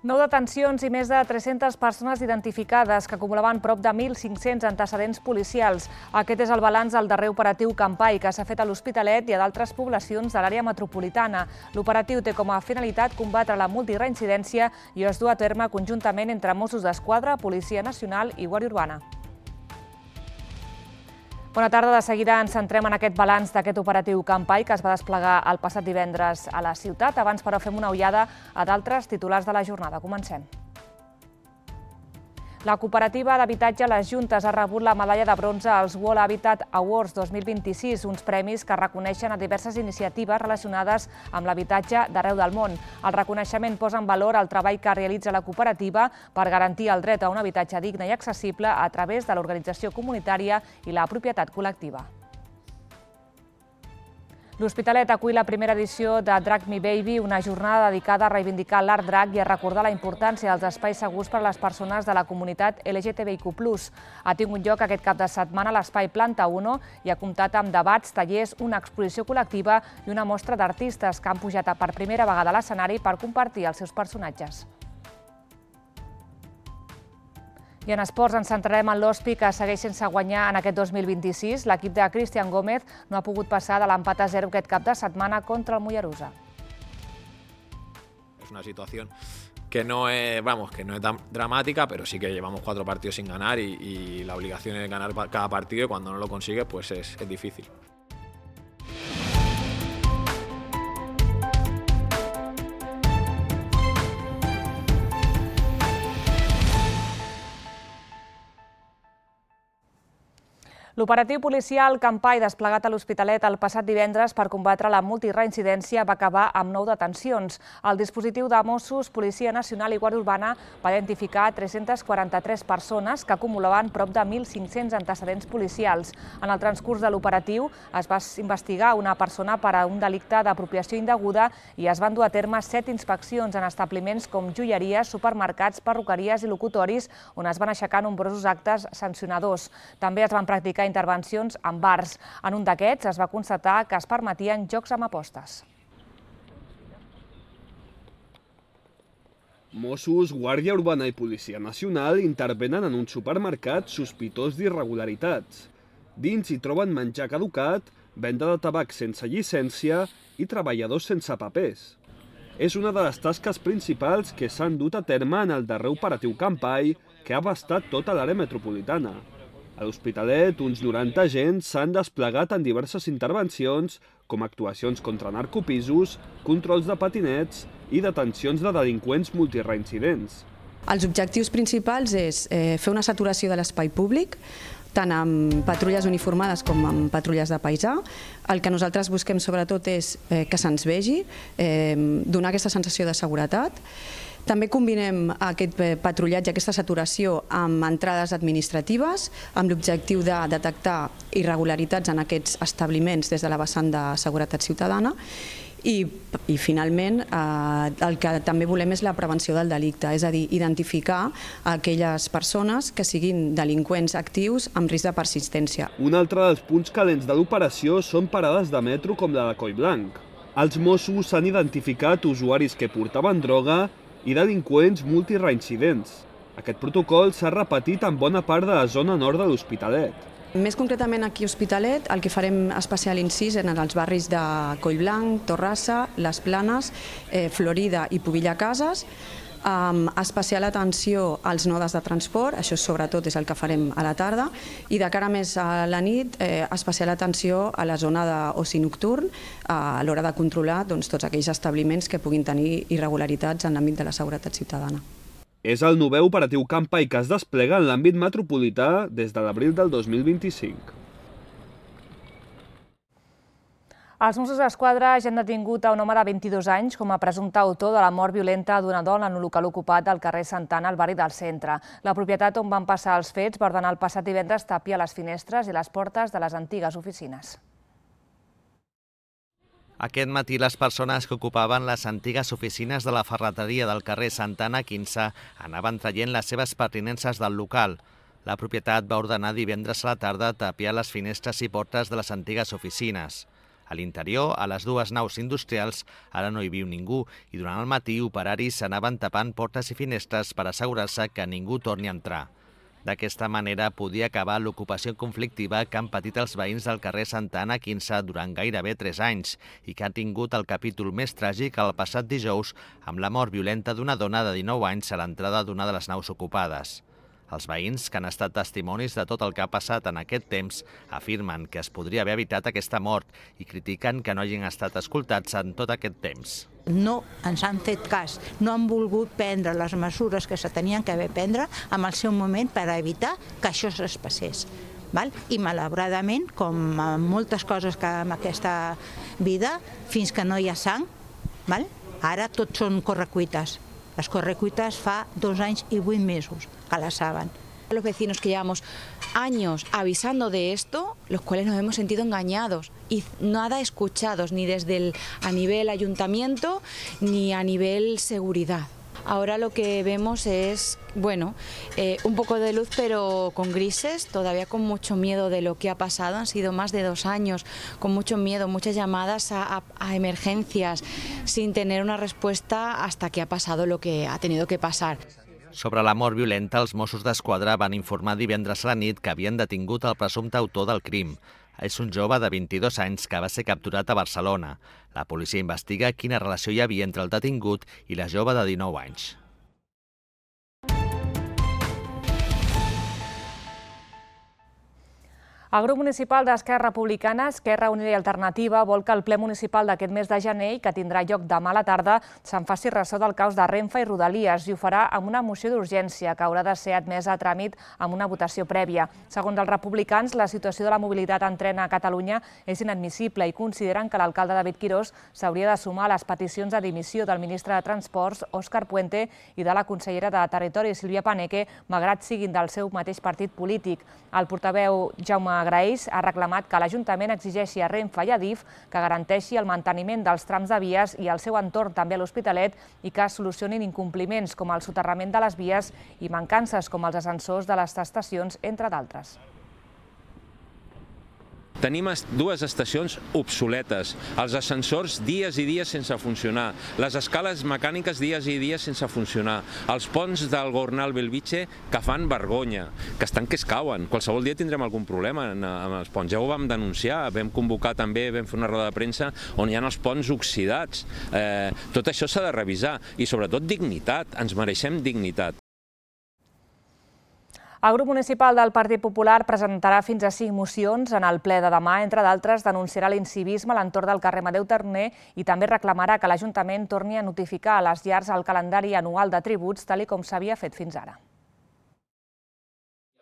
9 detencions i més de 300 persones identificades que acumulaven prop de 1.500 antecedents policials. Aquest és el balanç del darrer operatiu Campai que s'ha fet a l'Hospitalet i a d'altres poblacions de l'àrea metropolitana. L'operatiu té com a finalitat combatre la multireincidència i es du a terme conjuntament entre Mossos d'Esquadra, Policia Nacional i Guàrdia Urbana. Bona tarda. De seguida ens centrem en aquest balanç d'aquest operatiu Campai que es va desplegar el passat divendres a la ciutat. Abans, però, fem una ullada a d'altres titulars de la jornada. Comencem. La cooperativa d'habitatge Les Juntes ha rebut la medalla de bronze als World Habitat Awards 2026, uns premis que reconeixen a diverses iniciatives relacionades amb l'habitatge d'arreu del món. El reconeixement posa en valor el treball que realitza la cooperativa per garantir el dret a un habitatge digne i accessible a través de l'organització comunitària i la propietat col·lectiva. L'Hospitalet acull la primera edició de Drag Me Baby, una jornada dedicada a reivindicar l'art drag i a recordar la importància dels espais segurs per a les persones de la comunitat LGTBIQ+. Ha tingut lloc aquest cap de setmana a l'Espai Planta 1 i ha comptat amb debats, tallers, una exposició col·lectiva i una mostra d'artistes que han pujat per primera vegada a l'escenari per compartir els seus personatges. I en esports ens centrarem en l'Hospi, que segueix sense guanyar en aquest 2026. L'equip de Cristian Gómez no ha pogut passar de l'empat a 0 aquest cap de setmana contra el Mollerussa. Es una situación que no es tan dramática, pero sí que llevamos 4 partidos sin ganar y la obligación es ganar cada partido y cuando no lo consigues pues es difícil. L'operatiu policial Campai desplegat a l'Hospitalet el passat divendres per combatre la multireincidència va acabar amb 9 detencions. El dispositiu de Mossos, Policia Nacional i Guàrdia Urbana va identificar 343 persones que acumulaven prop de 1.500 antecedents policials. En el transcurs de l'operatiu es va investigar una persona per a un delicte d'apropiació indeguda i es van dur a terme 7 inspeccions en establiments com joieries, supermercats, perruqueries i locutoris on es van aixecar nombrosos actes sancionadors. També es van practicar intervencions en bars. En un d'aquests es va constatar que es permetien jocs amb apostes. Mossos, Guàrdia Urbana i Policia Nacional intervenen en un supermercat sospitós d'irregularitats. Dins hi troben menjar caducat, venda de tabac sense llicència i treballadors sense papers. És una de les tasques principals que s'han dut a terme en el darrer operatiu Campai que ha abastat tota l'àrea metropolitana. A l'Hospitalet, uns 90 agents s'han desplegat en diverses intervencions, com actuacions contra narcopisos, controls de patinets i detencions de delinqüents multireincidents. Els objectius principals és fer una saturació de l'espai públic, tant amb patrulles uniformades com amb patrulles de paisà. El que nosaltres busquem sobretot és que se'ns vegi, donar aquesta sensació de seguretat. També combinem aquest patrullatge, aquesta saturació, amb entrades administratives, amb l'objectiu de detectar irregularitats en aquests establiments des de la vessant de seguretat ciutadana. I finalment, el que també volem és la prevenció del delicte, és a dir, identificar aquelles persones que siguin delinqüents actius amb risc de persistència. Un altre dels punts calents de l'operació són parades de metro com la de Collblanc. Els Mossos han identificat usuaris que portaven droga i delinqüents multireincidents. Aquest protocol s'ha repetit en bona part de la zona nord de l'Hospitalet. Més concretament aquí a Hospitalet, el que farem especial incís en els barris de Collblanc, Torrassa, Les Planes, Florida i Pobilla Cases, amb especial atenció als nodes de transport, això sobretot és el que farem a la tarda, i de cara més a la nit, especial atenció a la zona d'oci nocturn a l'hora de controlar tots aquells establiments que puguin tenir irregularitats en l'àmbit de la seguretat ciutadana. És el 9è operatiu Campai que es desplega en l'àmbit metropolità des de l'abril del 2025. Els Mossos d'Esquadra ja han detingut a un home de 22 anys com a presumpte autor de la mort violenta d'una dona en un local ocupat del carrer Santana, al barri del Centre. La propietat on van passar els fets va ordenar el passat divendres tapiar les finestres i les portes de les antigues oficines. Aquest matí les persones que ocupaven les antigues oficines de la ferreteria del carrer Santana 15 anaven traient les seves pertinences del local. La propietat va ordenar divendres a la tarda tapiar les finestres i portes de les antigues oficines. A l'interior, a les dues naus industrials, ara no hi viu ningú i durant el matí operaris s'anaven tapant portes i finestres per assegurar-se que ningú torni a entrar. D'aquesta manera podia acabar l'ocupació conflictiva que han patit els veïns del carrer Santa Anna 15 durant gairebé 3 anys i que ha tingut el capítol més tràgic el passat dijous amb la mort violenta d'una dona de 19 anys a l'entrada d'una de les naus ocupades. Els veïns, que han estat testimonis de tot el que ha passat en aquest temps, afirmen que es podria haver evitat aquesta mort i critiquen que no hagin estat escoltats en tot aquest temps. No ens han fet cas, no han volgut prendre les mesures que se tenien que haver prendre en el seu moment per evitar que això es passés. I malauradament, com moltes coses que en aquesta vida, fins que no hi ha sang, ara tot són correcuites. Les correcuitas fa 2 anys i 8 mesos que la saben. Los vecinos que llevamos años avisando de esto, los cuales nos hemos sentido engañados y nada escuchados ni a nivel ayuntamiento ni a nivel seguridad. Ahora lo que vemos es, un poco de luz pero con grises, todavía con mucho miedo de lo que ha pasado. Han sido más de 2 años, con mucho miedo, muchas llamadas a emergencias, sin tener una respuesta hasta que ha pasado lo que ha tenido que pasar. Sobre la mort violenta, els Mossos d'Esquadra van informar divendres a la nit que havien detingut el presumpte autor del crim. És un jove de 22 anys que va ser capturat a Barcelona. La policia investiga quina relació hi havia entre el detingut i la jove de 19 anys. El grup municipal d'Esquerra Republicana, Esquerra Unida i Alternativa, vol que el ple municipal d'aquest mes de gener, que tindrà lloc demà a la tarda, se'n faci ressò del caos de Renfe i Rodalies i ho farà amb una moció d'urgència que haurà de ser admesa a tràmit amb una votació prèvia. Segons els republicans, la situació de la mobilitat en tren a Catalunya és inadmissible i consideren que l'alcalde David Quirós s'hauria de sumar a les peticions de dimissió del ministre de Transports, Òscar Puente, i de la consellera de Territori, Sílvia Paneque, malgrat siguin del seu mateix partit polític. El portaveu Jaume Graells ha reclamat que l'Ajuntament exigeixi a Renfe i a Adif que garanteixi el manteniment dels trams de vies i el seu entorn també a l'Hospitalet i que es solucionin incompliments com el soterrament de les vies i mancances com els ascensors de les estacions, entre d'altres. Tenim 2 estacions obsoletes, els ascensors dies i dies sense funcionar, les escales mecàniques dies i dies sense funcionar, els ponts del Gornal-Bellvitge que fan vergonya, que estan que es cauen. Qualsevol dia tindrem algun problema amb els ponts. Ja ho vam denunciar, vam convocar també, vam fer una roda de premsa on hi ha els ponts oxidats. Tot això s'ha de revisar i sobretot dignitat, ens mereixem dignitat. El grup municipal del Partit Popular presentarà fins a 5 mocions en el ple de demà. Entre d'altres, denunciarà l'incivisme a l'entorn del carrer Amadeu Torner i també reclamarà que l'Ajuntament torni a notificar a les llars el calendari anual de tributs, tal com s'havia fet fins ara.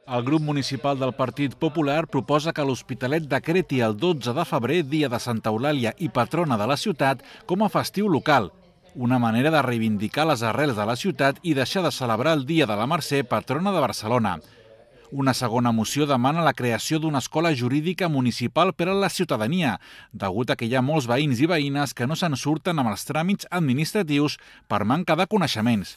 El grup municipal del Partit Popular proposa que l'Hospitalet decreti el 12 de febrer, dia de Santa Eulàlia i patrona de la ciutat, com a festiu local. Una manera de reivindicar les arrels de la ciutat i deixar de celebrar el Dia de la Mercè, patrona de Barcelona. Una segona moció demana la creació d'una escola jurídica municipal per a la ciutadania, degut a que hi ha molts veïns i veïnes que no se'n surten amb els tràmits administratius per manca de coneixements.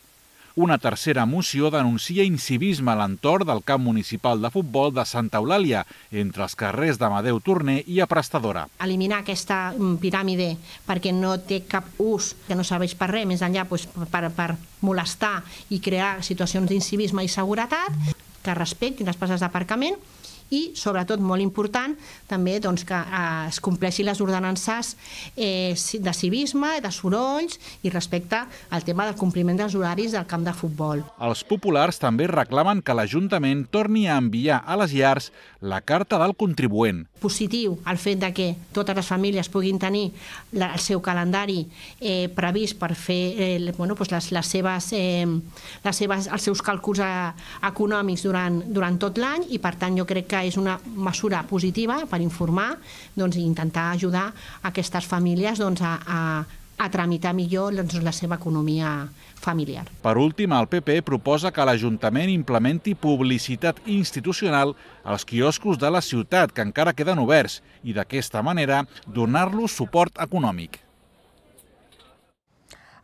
Una tercera moció denuncia incivisme a l'entorn del camp municipal de futbol de Santa Eulàlia, entre els carrers d'Amadeu Torner i a Prestadora. Eliminar aquesta piràmide perquè no té cap ús, que no serveix per res, més enllà per molestar i crear situacions d'incivisme i seguretat, que respectin les places d'aparcament i, sobretot, molt important, també que es compleixin les ordenances de civisme, de sorolls i respecte al tema del compliment dels horaris del camp de futbol. Els populars també reclamen que l'Ajuntament torni a enviar a les llars la carta del contribuent. Positiu el fet que totes les famílies puguin tenir el seu calendari previst per fer els seus càlculs econòmics durant tot l'any i, per tant, jo crec que és una mesura positiva per informar i intentar ajudar aquestes famílies a tramitar millor la seva economia familiar. Per últim, el PP proposa que l'Ajuntament implementi publicitat institucional als quioscos de la ciutat que encara queden oberts i d'aquesta manera donar-los suport econòmic.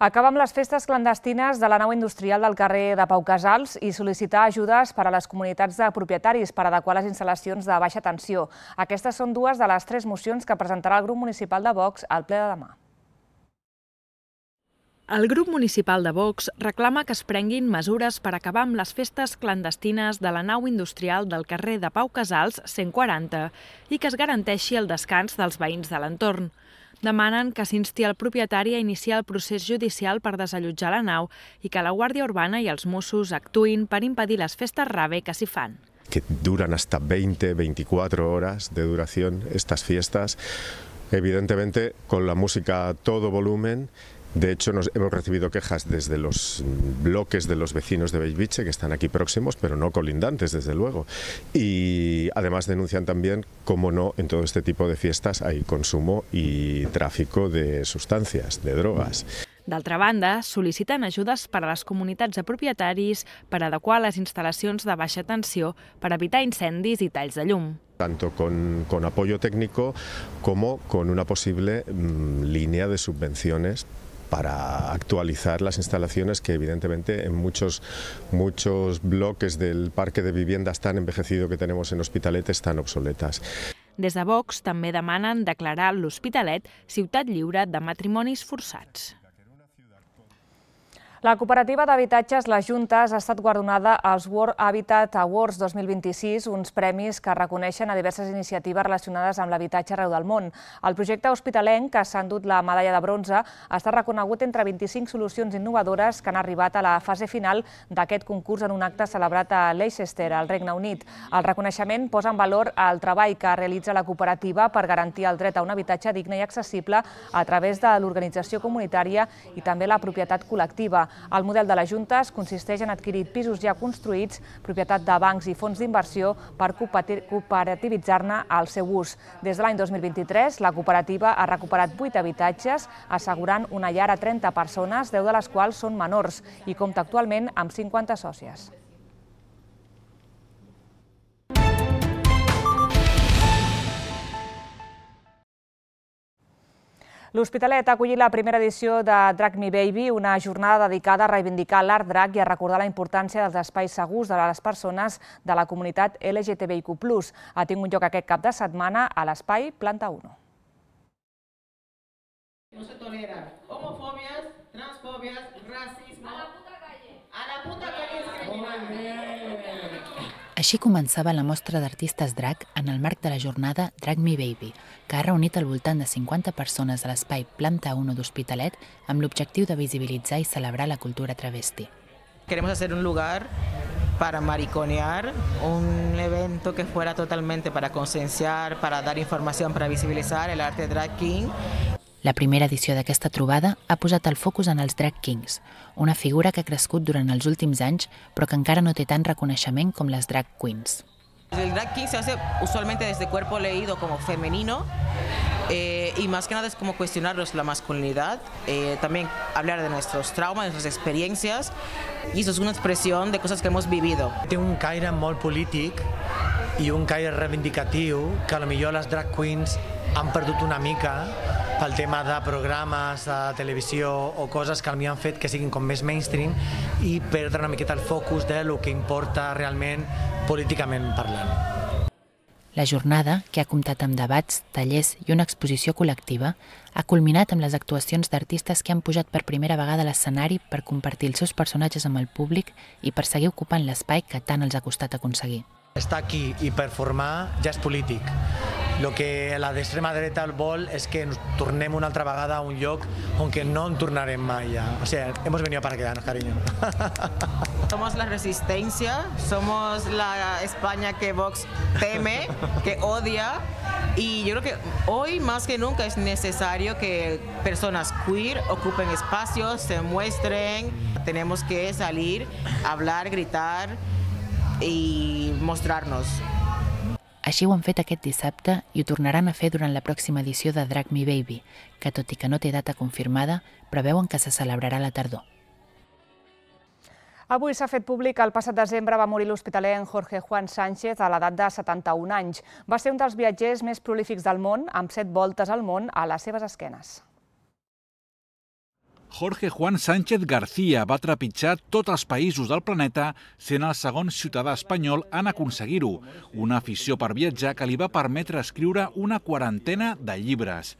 Acabar amb les festes clandestines de la nau industrial del carrer de Pau Casals i sol·licitar ajudes per a les comunitats de propietaris per adequar les instal·lacions de baixa tensió. Aquestes són dues de les 3 mocions que presentarà el grup municipal de Vox al ple de demà. El grup municipal de Vox reclama que es prenguin mesures per acabar amb les festes clandestines de la nau industrial del carrer de Pau Casals 140 i que es garanteixi el descans dels veïns de l'entorn. Demanen que s'insti el propietari a iniciar el procés judicial per desallotjar la nau i que la Guàrdia Urbana i els Mossos actuïn per impedir les festes rave que s'hi fan. Que duran hasta 20-24 horas de duración estas fiestas, evidentemente con la música a todo volumen. De hecho, hemos recibido quejas desde los bloques de los vecinos de Bellvitge, que están aquí próximos, pero no colindantes, desde luego. Y además denuncian también, cómo no, en todo este tipo de fiestas hay consumo y tráfico de sustancias, de drogas. D'altra banda, sol·liciten ajudes per a les comunitats de propietaris per adequar les instal·lacions de baixa tensió per evitar incendis i talls de llum. Tanto con apoyo técnico como con una posible línea de subvenciones para actualizar las instalaciones que evidentemente en muchos bloques del parque de viviendas tan envejecido que tenemos en Hospitalet están obsoletas. Des de Vox també demanen declarar l'Hospitalet ciutat lliure de matrimonis forçats. La cooperativa d'habitatges Les Juntes ha estat guardonada als World Habitat Awards 2026, uns premis que reconeixen a diverses iniciatives relacionades amb l'habitatge arreu del món. El projecte hospitalenc, que s'ha endut la medalla de bronze, ha estat reconegut entre 25 solucions innovadores que han arribat a la fase final d'aquest concurs en un acte celebrat a Leicester, al Regne Unit. El reconeixement posa en valor el treball que realitza la cooperativa per garantir el dret a un habitatge digne i accessible a través de l'organització comunitària i també la propietat col·lectiva. El model de les Juntes consisteix en adquirir pisos ja construïts, propietat de bancs i fons d'inversió, per cooperativitzar-ne el seu ús. Des de l'any 2023, la cooperativa ha recuperat 8 habitatges, assegurant una llar a 30 persones, 10 de les quals són menors, i compta actualment amb 50 sòcies. L'Hospitalet ha acollit la primera edició de Drag Me Baby, una jornada dedicada a reivindicar l'art drag i a recordar la importància dels espais segurs de les persones de la comunitat LGTBIQ+. Ha tingut lloc aquest cap de setmana a l'espai Planta 1. No se toleran homofobias, transfobias, racismo. A la puta calle. A la puta calle es criminal. Així començava la mostra d'artistes drag en el marc de la jornada Drag Me Baby, que ha reunit al voltant de 50 persones a l'espai Planta 1 d'Hospitalet amb l'objectiu de visibilitzar i celebrar la cultura travesti. Queremos hacer un lugar para mariconear, un evento que fuera totalmente para concienciar, para dar información, para visibilizar el arte drag king. La primera edició d'aquesta trobada ha posat el focus en els drag kings, una figura que ha crescut durant els últims anys però que encara no té tant reconeixement com les drag queens. El drag king se hace usualmente desde cuerpo leído como femenino y más que nada es como cuestionarnos la masculinidad, también hablar de nuestros traumas, de nuestras experiencias, y eso es una expresión de cosas que hemos vivido. Té un caire molt polític i un caire reivindicatiu que potser les drag queens han perdut una mica pel tema de programes de televisió o coses que han fet que siguin com més mainstream i perdre una miqueta el focus de lo que importa realment políticament parlant. La jornada, que ha comptat amb debats, tallers i una exposició col·lectiva, ha culminat amb les actuacions d'artistes que han pujat per primera vegada a l'escenari per compartir els seus personatges amb el públic i per seguir ocupant l'espai que tant els ha costat aconseguir. Estar aquí i performar ja és polític. El que la d'extrema dreta vol és que ens tornem una altra vegada a un lloc on no en tornarem mai ja. O sea, hemos venido para quedarnos, cariño. Somos la resistencia, somos la España que Vox teme, que odia, y yo creo que hoy más que nunca es necesario que personas queer ocupen espacios, se muestren. Tenemos que salir, hablar, gritar i mostrar-nos. Així ho han fet aquest dissabte i ho tornaran a fer durant la pròxima edició de Drag Me Baby, que tot i que no té data confirmada, preveuen que se celebrarà a la tardor. Avui s'ha fet públic que el passat desembre va morir l'hospitalenc Jorge Juan Sánchez a l'edat de 71 anys. Va ser un dels viatgers més prolífics del món, amb 7 voltes al món a les seves esquenes. Jorge Juan Sánchez García va trepitjar tots els països del planeta sent el segon ciutadà espanyol en aconseguir-ho, una afició per viatjar que li va permetre escriure una quarantena de llibres.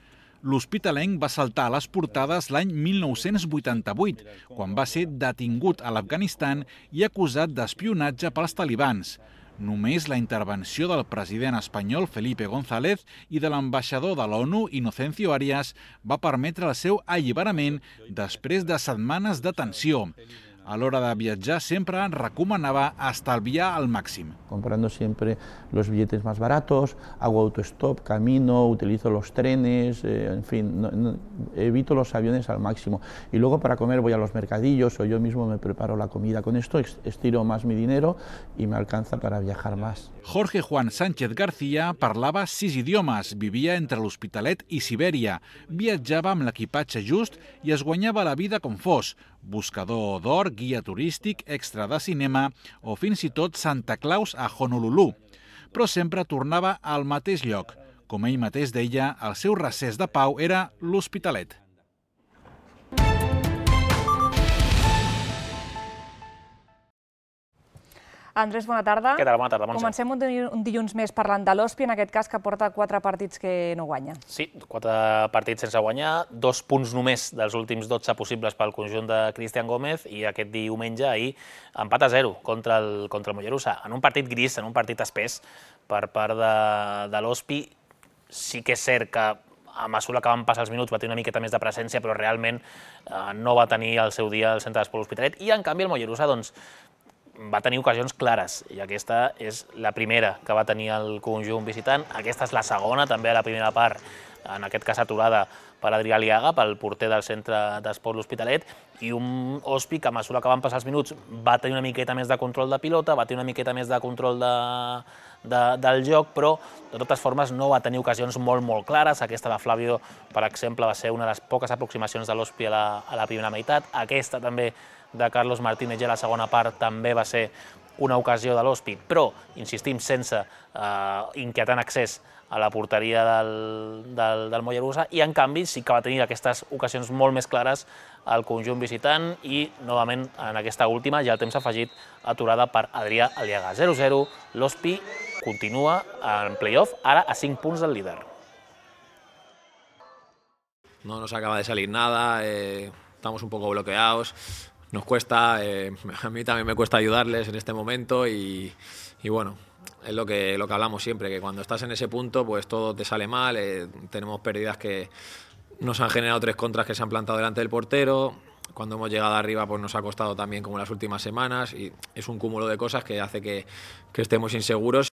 L'hospitalenc va saltar a les portades l'any 1988, quan va ser detingut a l'Afganistan i acusat d'espionatge pels talibans. Només la intervenció del president espanyol Felipe González i de l'ambaixador de l'ONU, Inocencio Arias, va permetre el seu alliberament després de setmanes de tensió. A l'hora de viatjar sempre recomanava estalviar al màxim. Comprando siempre los billetes más baratos, hago autostop, camino, utilizo los trenes, en fin, evito los aviones al máximo. Y luego para comer voy a los mercadillos o yo mismo me preparo la comida. Con esto estiro más mi dinero y me alcanza para viajar más. Jorge Juan Sánchez García parlava 6 idiomes, vivia entre l'Hospitalet i Sibèria, viatjava amb l'equipatge just i es guanyava la vida com fos, buscador d'or, guia turístic, extra de cinema o fins i tot Santa Claus a Honolulu. Però sempre tornava al mateix lloc. Com ell mateix deia, el seu recés de pau era l'Hospitalet. Andrés, bona tarda. Què tal? Bona tarda, Montse. Comencem un dilluns més parlant de l'Hospi, en aquest cas que porta 4 partits que no guanya. Sí, 4 partits sense guanyar, 2 punts només dels últims 12 possibles pel conjunt de Cristian Gómez i aquest diumenge, ahir, empat a 0 contra el Mollerussa. En un partit gris, en un partit espès per part de l'Hospi. Sí que és cert que a mesura que van passar els minuts va tenir una miqueta més de presència, però realment no va tenir el seu dia al centre d'esport L'Hospitalet i en canvi el Mollerussa doncs va tenir ocasions clares i aquesta és la primera que va tenir el conjunt visitant. Aquesta és la segona, també a la primera part, en aquest cas aturada per Adrià Aliaga, pel porter del centre d'esport L'Hospitalet, i un Hospi que a mesura que van passar els minuts va tenir una miqueta més de control de pilota, va tenir una miqueta més de control del joc, però de totes formes no va tenir ocasions molt clares. Aquesta de Flavio, per exemple, va ser una de les poques aproximacions de l'Hospi a la primera meitat. Aquesta també de Carlos Martínez ja a la segona part també va ser una ocasió de l'Hospi, però, insistim, sense inquietant accés a la porteria del Mollerussa, i en canvi sí que va tenir aquestes ocasions molt més clares al conjunt visitant i, novament, en aquesta última, ja el temps afegit, aturada per Adrià Aliaga. 0-0, l'Hospi continua en play-off, ara a 5 punts del líder. No nos acaba de salir nada, estamos un poco bloqueados. Nos cuesta, a mí también me cuesta ayudarles en este momento y bueno, es lo que hablamos siempre, que cuando estás en ese punto pues todo te sale mal, tenemos pérdidas que nos han generado 3 contras que se han plantado delante del portero, cuando hemos llegado arriba pues nos ha costado también como en las últimas semanas y es un cúmulo de cosas que hace que estemos inseguros.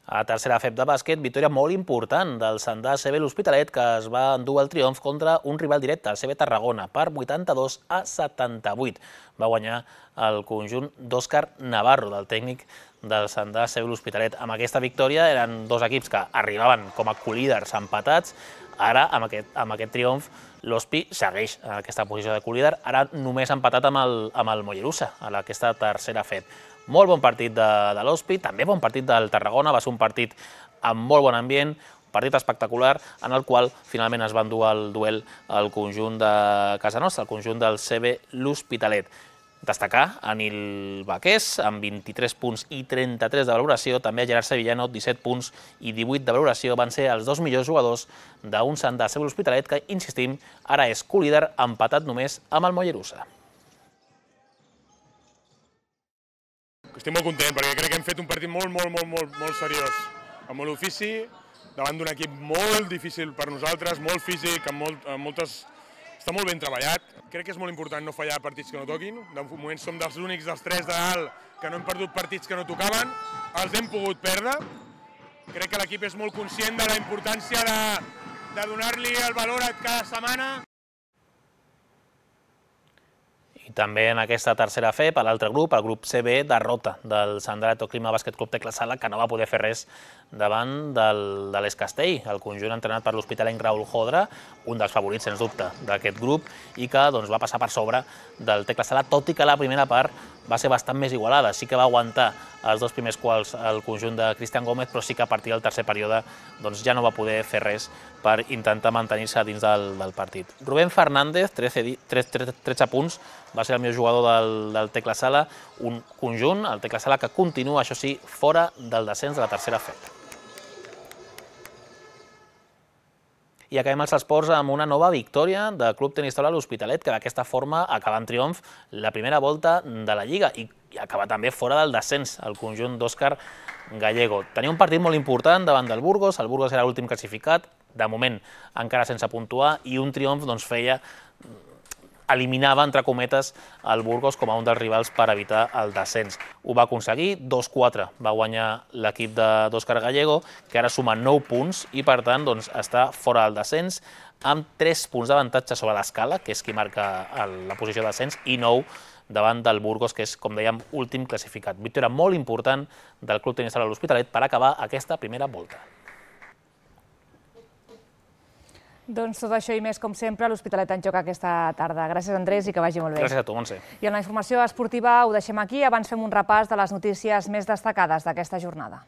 A tercera FEP de bàsquet, victòria molt important del Sandà CB L'Hospitalet, que es va endur el triomf contra un rival directe, el CB Tarragona, per 82-78. Va guanyar el conjunt d'Òscar Navarro, del tècnic del Sandà CB L'Hospitalet. Amb aquesta victòria eren 2 equips que arribaven com a colíders empatats. Ara, amb aquest triomf, l'Hospi segueix en aquesta posició de colíder, ara només empatat amb el Mollerussa, a aquesta tercera FEP. Molt bon partit de l'Hospi, també bon partit del Tarragona, va ser un partit amb molt bon ambient, un partit espectacular, en el qual finalment es va endur el duel al conjunt de casa nostra, el conjunt del CB L'Hospitalet. Destacar a Nil Baqués, amb 23 punts i 33 de valoració, també a Gerard Sevillano, 17 punts i 18 de valoració, van ser els 2 millors jugadors d'un Sandà CB L'Hospitalet, que, insistim, ara és colíder empatat només amb el Mollerussa. Estic molt content perquè crec que hem fet un partit molt seriós, amb molt ofici, davant d'un equip molt difícil per nosaltres, molt físic, està molt ben treballat. Crec que és molt important no fallar partits que no toquin. De moment som dels únics dels 3 de dalt que no hem perdut partits que no tocaven, els hem pogut perdre. Crec que l'equip és molt conscient de la importància de donar-li el valor a cada setmana. I també en aquesta tercera FEP, a l'altre grup, el grup CB, derrota del Sandà Clima Bàsquet Club Tecla Sala, que no va poder fer res davant de l'Escastell, el conjunt entrenat per l'hospitalenc Raúl Jodra, un dels favorits, sens dubte, d'aquest grup, i que va passar per sobre del Tecla Sala, tot i que la primera part va ser bastant més igualada. Sí que va aguantar els dos primers quals el conjunt de Cristian Gómez, però sí que a partir del tercer període ja no va poder fer res per intentar mantenir-se dins del partit. Rubén Fernández, 13 punts, va ser el millor jugador del Tecla Sala, un conjunt, el Tecla Sala, que continua, això sí, fora del descens de la tercera FEP. I acabem els esports amb una nova victòria del Club Tenis Taula l'Hospitalet, que d'aquesta forma acaba en triomf la primera volta de la Lliga i acaba també fora del descens, el conjunt d'Òscar Gallego. Tenia un partit molt important davant del Burgos, el Burgos era l'últim classificat, de moment encara sense puntuar, i un triomf eliminava, entre cometes, el Burgos com a un dels rivals per evitar el descens. Ho va aconseguir, 2-4 va guanyar l'equip d'Òscar Gallego, que ara suma 9 punts i, per tant, està fora del descens, amb 3 punts d'avantatge sobre l'Escala, que és qui marca la posició de descens, i 9 davant del Burgos, que és, com dèiem, últim classificat. Victòria molt important del Club Tenis Taula l'Hospitalet per acabar aquesta primera volta. Doncs tot això i més, com sempre, l'Hospitalet en joc aquesta tarda. Gràcies, Andrés, i que vagi molt bé. Gràcies a tu, Montse. I en la informació esportiva ho deixem aquí. Abans fem un repàs de les notícies més destacades d'aquesta jornada.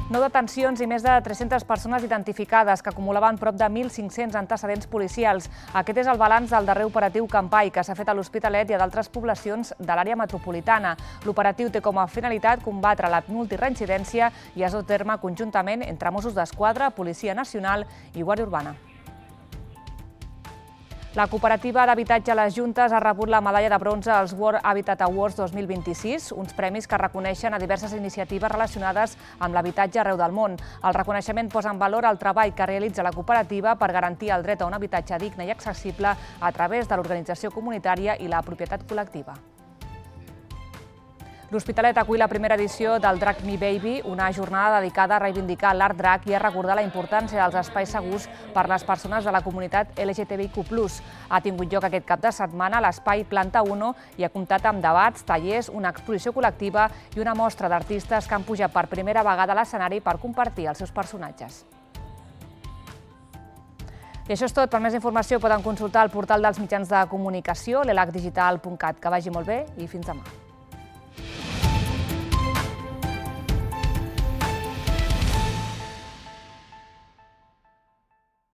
9 detencions i més de 300 persones identificades que acumulaven prop de 1.500 antecedents policials. Aquest és el balanç del darrer operatiu Campai que s'ha fet a l'Hospitalet i a d'altres poblacions de l'àrea metropolitana. L'operatiu té com a finalitat combatre la multireincidència i es dut a terme conjuntament entre Mossos d'Esquadra, Policia Nacional i Guàrdia Urbana. La cooperativa d'habitatge Les Juntes ha rebut la medalla de bronze als World Habitat Awards 2026, uns premis que reconeixen a diverses iniciatives relacionades amb l'habitatge arreu del món. El reconeixement posa en valor el treball que realitza la cooperativa per garantir el dret a un habitatge digne i accessible a través de l'organització comunitària i la propietat col·lectiva. L'Hospitalet acull la primera edició del Drag Me Baby, una jornada dedicada a reivindicar l'art drag i a recordar la importància dels espais segurs per les persones de la comunitat LGTBIQ+. Ha tingut lloc aquest cap de setmana a l'espai Planta 1 i ha comptat amb debats, tallers, una exposició col·lectiva i una mostra d'artistes que han pujat per primera vegada a l'escenari per compartir els seus personatges. I això és tot. Per més informació poden consultar el portal dels mitjans de comunicació, l'elacdigital.cat. Que vagi molt bé i fins demà.